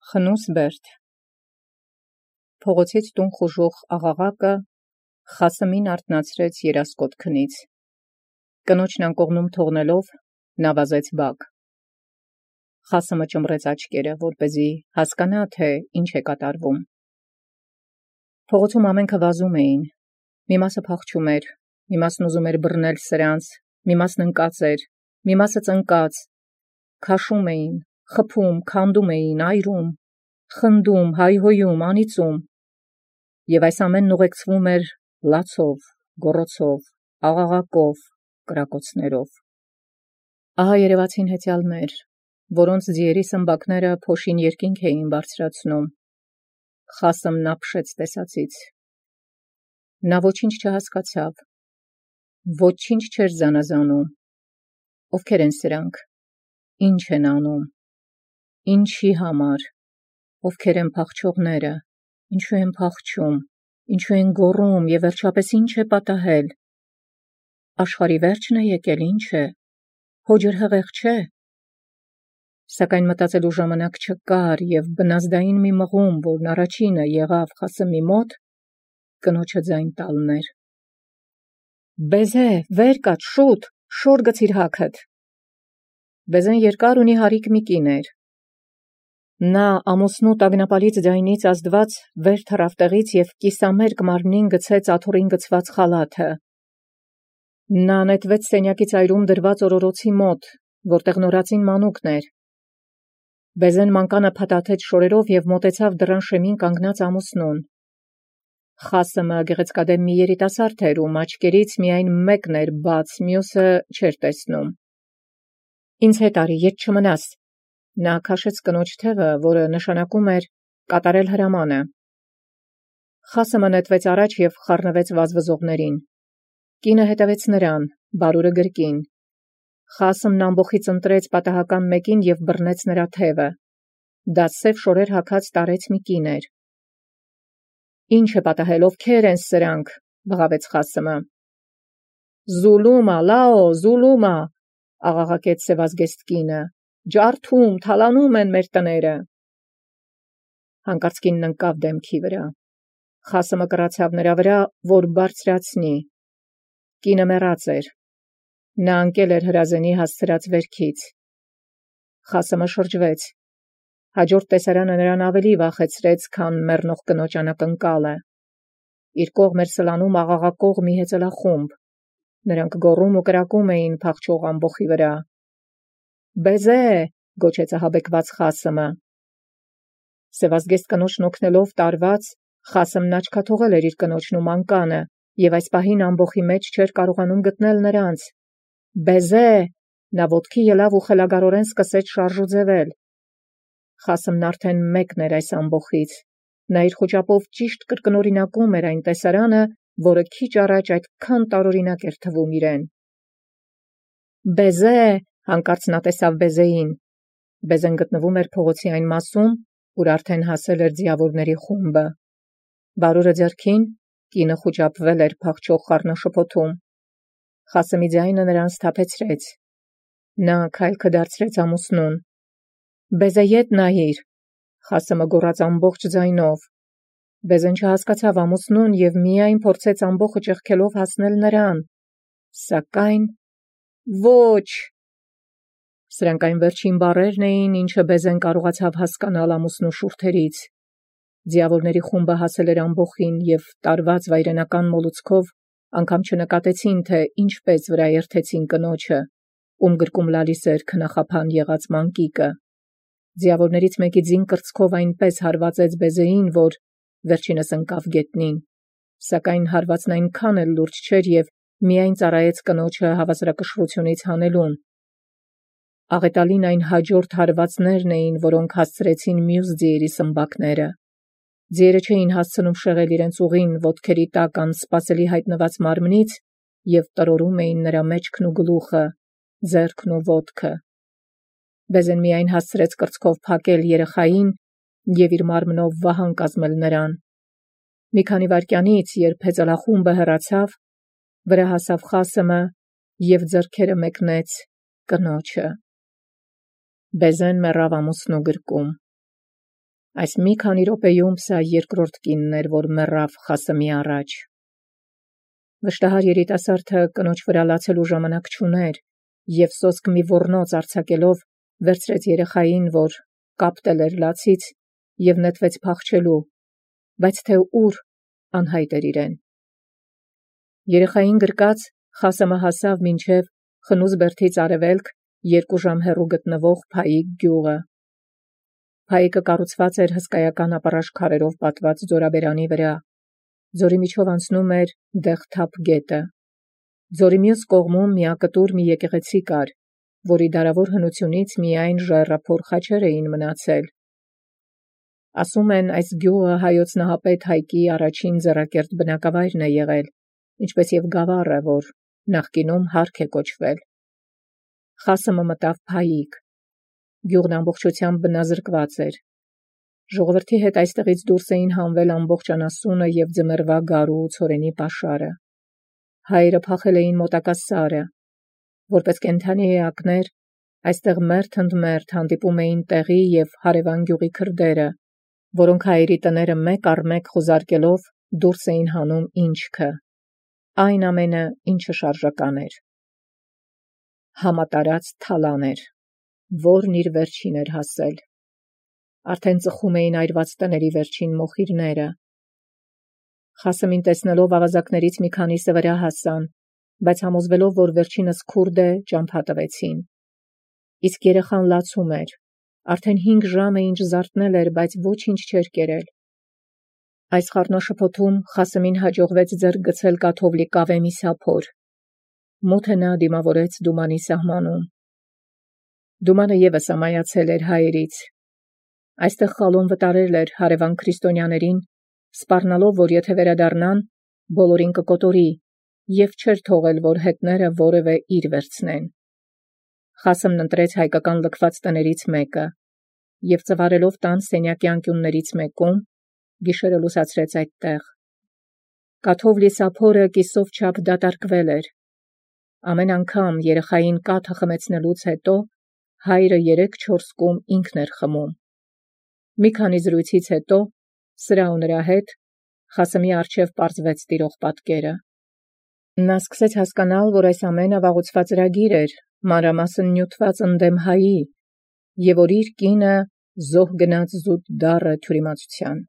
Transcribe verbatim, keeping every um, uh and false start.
Խնուս Բերդ Փողոցից տուն խուժող աղաղակը Խասմին արթնացրեց երասկոտ քնից։ Կնոջն անկողնում թողնելով նա վազեց բակ։ Խասմը ճմռեց աչքերը, որպեսզի հասկանա, թե ինչ է կատարվում։ Փողոցում ամենքը վազում էին։ Մի մասը փախչում էր, մի մասն ուզում էր բռնել սրանց, մի մասն ընկած էր, մի մասը ծնկած, քաշում էին, խփում, քանդում էին, այրում, խնդում, հայհոյում, անիծում, և այս ամենն ուղեկցվում էր լացով, գոռոցով, աղաղակով, կրակոցներով։ Ահա երևացին հեծյալներ, որոնց ձիերի սմբակները փոշին երկինք էին բարձրացնում։ Խասմն ապշեց տեսածից։ Նա ոչինչ չհասկացավ, ոչինչ չէր զանազանում։ Ովքեր են սրանք, ինչ են անում, ինչի համար, ովքեր են փախչողները, ինչու են փախչում, ինչու են գոռում և վերջապես ինչ է պատահել։ Աշխարհի վերջն է եկել, ինչ է, հո ջրհեղեղ չէ։ Սակայն մտածելու ժամանակ չկար, և բնազդային մի մղում, որն առաջինը եղավ Խասմի մոտ, կնոջը ձայն տալն էր։ «Բեզե, վեր կաց, շուտ, շոր գցիր հագդ»։ Բեզեն երկար ունի հարիկ մի կին էր։ Նա ամուսնու տագնապալից ձայնից ազդված վեր թռավ տեղից և կիսամերկ մարմնին գցեց աթոռին գցված խալաթը։ Նա նետվեց սենյակի ծայրում դրված օրորոցի մոտ, որտեղ նորածին մանուկն էր։ Բեզեն մանկանը փաթաթեց շորերով և մոտեցավ դռան շեմին կանգնած ամուսնուն։ Խասմը գեղեցկադեմ մի երիտասարդ էր, ում աչքերից միայն մեկն էր բաց, մյուսը չէր տեսնում։ «Ինձ հետ արի, ետ չմնաս»։ Նա քաշեց կնոջ թևը, որը նշանակում էր կատարել հրամանը։ Խասմը նետվեց առաջ և խառնվեց վազվզողներին։ Կինը հետևեց նրան, բարուրը գրկին։ Խասմն ամբոխից ընտրեց պատահական մեկին և բռնեց նրա թևը։ Դա սև շորեր հագած տարեց մի կին էր։ «Ինչ է պատահել, ովքեր են սրանք»։ բղավեց Խասմը։ «Զուլումա, լաո, զուլումա», աղաղակեց սևազգեստ կինը։ «Ջարդում, թալանում են մեր տները»։ Հանկարծ կինն ընկավ դեմքի վրա։ Խասմը կռացավ նրա վրա, որ բարձրացնի։ Կինը մեռած էր։ Նա ընկել էր հրազենի հասցրած վերքից։ Խասմը շրջվեց։ Հաջորդ տեսարանը նրան ավելի վախեցրեց, քան մեռնող կնոջ անակնկալը։ Իր կողմ էր սլանում աղաղակող մի հեծելախումբ։ Նրանք գոռում ու կրակում էին փախչող ամբոխի վրա։ «Բեզե», գոչեց ահաբեկված Խասմը։ Սևազգեստ կնոջն օգնելով տարված, Խասմն աչքաթողել էր իր կնոջն ու մանկանը, և այս պահին ամբոխի մեջ չէր կարողանում գտնել նրանց։ «Բեզե», նա ոտքի ելավ ու խելագարորեն սկսեց շարժուձևել։ Խասմն արդեն մեկն էր այս ամբոխից։ Նա իր խուճապով ճիշտ կրկնօրինակում էր այն տեսարանը, որը քիչ առաջ այդքան տարօրինակ էր թվում իրեն։ «Բեզե», հանկարծ նա տեսավ Բեզեին։ Բեզեն գտնվում էր փողոցի այն մասում, ուր արդեն հասել էր ձիավորների խումբը։ Բարուրը ձեռքին, կինը խուճապվել էր փախչող խառնաշփոթում։ Խասմի ձայնը նրան սթափեցրեց։ Նա քայլքը դարձրեց ամուսնուն։ «Բեզե, ետ նայիր», Խասմը գոռաց ամբողջ ձայնով։ Բեզեն չհասկացավ ամուսնուն և միայն փորձեց ամբոխը ճեղքելով հասնել նրան։ Սակայն… «Ոչ»։ Սրանք այն վերջին բառերն էին, ինչը Բեզեն կարողացավ հասկանալ ամուսնու շուրթերից։ Ձիավորների խումբը հասել էր ամբոխին և տարված վայրենական մոլուցքով անգամ չնկատեցին, թե ինչպես վրա երթեցին կնոջը, ում գրկում լալիս էր քնախափան եղած մանկիկը։ Ձիավորներից մեկի ձին կրծքով այնպես հարվածեց Բեզեին, որ վերջինս ընկավ գետնին, սակայն հարվածն այնքան էլ լուրջ չէր և միայն ծառայեց կնոջը հավասարակշռությունից հանելուն։ Աղետալին այն հաջորդ հարվածներն էին, որոնք հասցրեցին մյուս ձիերի սմբակները։ Ձիերը չէին հասցնում շեղել իրենց ուղին ոտքերի տակ անսպասելի հայտնված մարմնից և տրորում էին նրա մեջքն ու գլուխը, ձեռքն ու ոտքը։ Բեզեն միայն հասցրեց կրծքով փակել երեխային և իր մարմնով վահան կազմել նրան։ Մի քանի վայրկյանից, երբ հեծելախումբը հեռացավ, վրա հասավ Խասմը և ձեռքերը մեկնեց կնոջը։ Բեզեն մեռավ ամուսնու գրկում։ Այս մի քանի րոպեում սա երկրորդ կինն էր, որ մեռավ Խասմի առաջ։ Վշտահար երիտասարդը կնոջ վրա լացելու ժամանակ չուներ, և սոսկ մի ոռնոց արձակելով վերցրեց երեխային, որ կապտել էր լացից, և նետվեց փախչելու, բայց թե ուր անհայտ էր իրեն։ Երեխային գրկած Խասմը հասավ մինչև Խնուզ բերդից արևելք երկու ժամ հեռու գտնվող Փայիկ գյուղը։ Փայիկը կառուցված էր հսկայական ապառաշ քարերով պատված ձորաբերանի վրա։ Ձորի միջով անցնում էր Դեղթափ գետը։ Ձորի մյուս կողմում միակտուր մի եկեղեցի կար, որի դարավոր հնությունից միայն ժայռափոր խաչեր էին մնացել։ Ասում են, այս գյուղը հայոց նահապետ Հայկի առաջին ձեռակերտ բնակավայրն է եղել, ինչպես և գավառը, որ նախկինում Հարք է կոչվել։ Խասմը մտավ Փայիկ։ Գյուղն ամբողջությամբ բնազրկված էր։ Ժողովրդի հետ այստեղից դուրս էին հանվել ամբողջ անասունը և ձմեռվա գարու ու ցորենի պաշարը։ Հայերը փախել էին մոտակա սարը։ Որպես կենդանի էակներ, այստեղ մերթ ընդ մերթ հանդիպում էին տեղի և հարևան գյուղի քրդերը, որոնք հայերի տները մեկ առ մեկ խուզարկելով դուրս էին հանում ինչքը, այն ամենը, ինչը շարժական էր։ Համատարած թալան էր, որն իր վերջին էր հասել։ Արդեն ծխում էին այրված տների վերջին մոխիրները։ Խասմին տեսնելով ավազակներից մի քանիսը վրա հասան, բայց համոզվելով, որ վերջինս քուրդ է, ճամփա տվեցին։ Իսկ երեխան լացում էր։ Արդեն հինգ ժամ է ինչ զարթնել էր, բայց ոչինչ չէր կերել։ Այս խառնաշփոթում Խասմին հաջողվեց ձեռք գցել կաթովլի կավե մի սափոր։ Մութը նա դիմավորեց Դումանի սահմանում։ Դումանը ևս ամայացել էր հայերից։ Այստեղ խալոն վտարել էր հարևան քրիստոնյաներին, սպառնալով, որ եթե վերադառնան, բոլորին կկոտորի, և չէր թողել, որ հետները որևէ իր վերցնեն։ Խասմն ընտրեց հայկական լքված տներից մեկը, և ծվարելով տան սենյակի անկյուններից մեկում, գիշերը լուսացրեց այդտեղ։ Կաթովլի սափորը կիսով չափ դատարկվել էր։ Ամեն անգամ երեխային կաթը խմեցնելուց հետո հայրը երեք-չորս կում ինքն էր խմում։ Մի քանի զրույցից հետո, սրա ու նրա հետ, Խասմի առջև պարզվեց տիրող պատկերը։ Նա սկսեց հասկանալ, որ այս ամենը վաղուց էր, մանրամասն նյութված ընդդեմ հայի, և որ իր կինը զոհ գնաց զուտ դառը թյուրիմացության։